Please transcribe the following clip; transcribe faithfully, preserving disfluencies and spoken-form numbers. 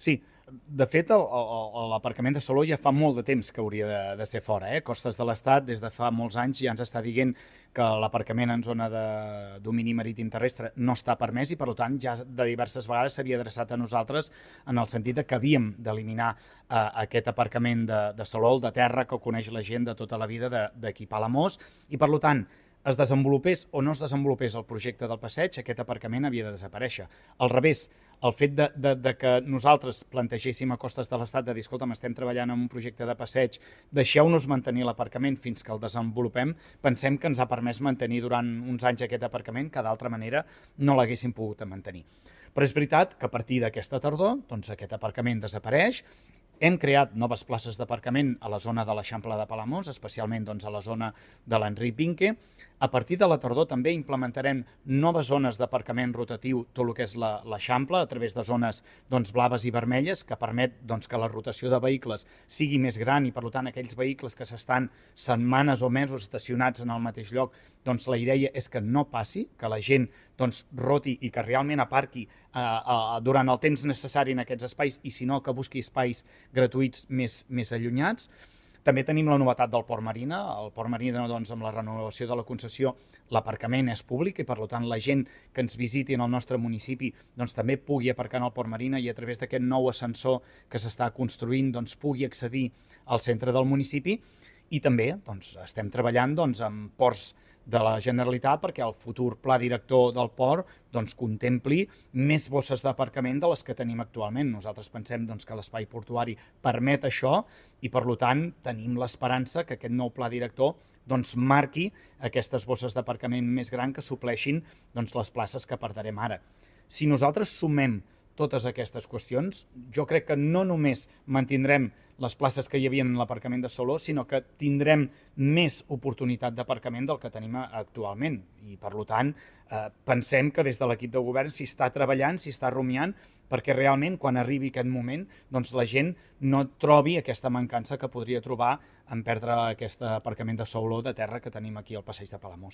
Sí, de fet, el- el- l'aparcament de Salou ja fa molt de temps que hauria de, de ser fora. Eh? Costes de l'Estat, des de fa molts anys, ja ens està dient que l'aparcament en zona de domini marítim terrestre no està permès i, per tant, ja de diverses vegades s'havia adreçat a nosaltres en el sentit de que havíem d'eliminar eh, aquest aparcament de, de Salou, de terra, que coneix la gent de tota la vida d'aquí Palamós, i, per tant, es desenvolupés o no es desenvolupés el projecte del passeig, aquest aparcament havia de desaparèixer. Al revés, el fet de, de, de que nosaltres plantegéssim a Costes de l'Estat de dir, escolta'm, estem treballant en un projecte de passeig, deixeu-nos mantenir l'aparcament fins que el desenvolupem, pensem que ens ha permès mantenir durant uns anys aquest aparcament que d'altra manera no l'haguéssim pogut mantenir. Però és veritat que a partir d'aquesta tardor doncs aquest aparcament desapareix. Hem creat noves places d'aparcament a la zona de l'Eixample de Palamós, especialment doncs, a la zona de l'Enric Vinque. A partir de la tardor també implementarem noves zones d'aparcament rotatiu, tot el que és l'Eixample, a través de zones doncs, blaves i vermelles, que permet doncs, que la rotació de vehicles sigui més gran i, per tant, aquells vehicles que s'estan setmanes o mesos estacionats en el mateix lloc, doncs la idea és que no passi, que la gent doncs, roti i que realment aparqui eh, eh, durant el temps necessari en aquests espais i, si no, que busqui espais gratuïts més, més allunyats. També tenim la novetat del Port Marina. El Port Marina, doncs, amb la renovació de la concessió, l'aparcament és públic i, per tant, la gent que ens visiti en el nostre municipi doncs, també pugui aparcar en el Port Marina i a través d'aquest nou ascensor que s'està construint doncs, pugui accedir al centre del municipi. I també doncs, estem treballant doncs, amb ports de la Generalitat perquè el futur pla director del port doncs, contempli més bosses d'aparcament de les que tenim actualment. Nosaltres pensem doncs, que l'espai portuari permet això i, per tant, tenim l'esperança que aquest nou pla director doncs, marqui aquestes bosses d'aparcament més grans que supleixin doncs, les places que perdrem ara. Si nosaltres sumem totes aquestes qüestions, jo crec que no només mantindrem les places que hi havia en l'aparcament de Salou, sinó que tindrem més oportunitat d'aparcament del que tenim actualment. I, per tant, eh, pensem que des de l'equip de govern s'hi està treballant, s'hi està rumiant, perquè realment, quan arribi aquest moment, doncs la gent no trobi aquesta mancança que podria trobar en perdre aquest aparcament de Salou de terra que tenim aquí al passeig de Palamós.